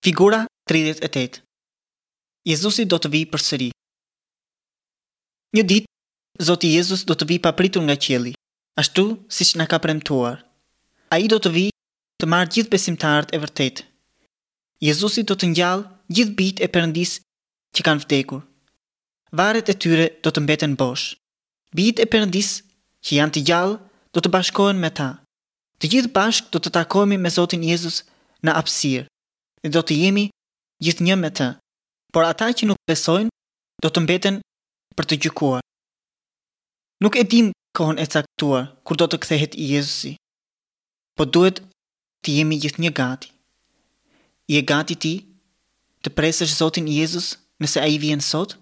Figura 38 Jezusi do të vijë përsëri. Një ditë, Zoti Jezus do të vijë papritur nga qielli, ashtu siç na ka premtuar. Ai do të vijë të marrë gjithë besimtarët e vërtetë. Jezusi do të ngjallë gjithë bijtë e Perëndisë që kanë vdekur. Varret e tyre do të mbeten bosh. Bijtë e Perëndisë që janë të gjallë do të bashkohen me ta. Të gjithë bashkë do të takohemi me Zotin Jezus në hapësirë dhe do të jemi gjithnjë me të. Por ata që nuk besojnë do të mbeten për të gjykuar. Nuk e dimë kohën e caktuar kur do të kthehet Jezusi, po duhet të jemi gjithnjë gati. Je gati ti të presësh Zotin Jezus nëse ai vjen sot?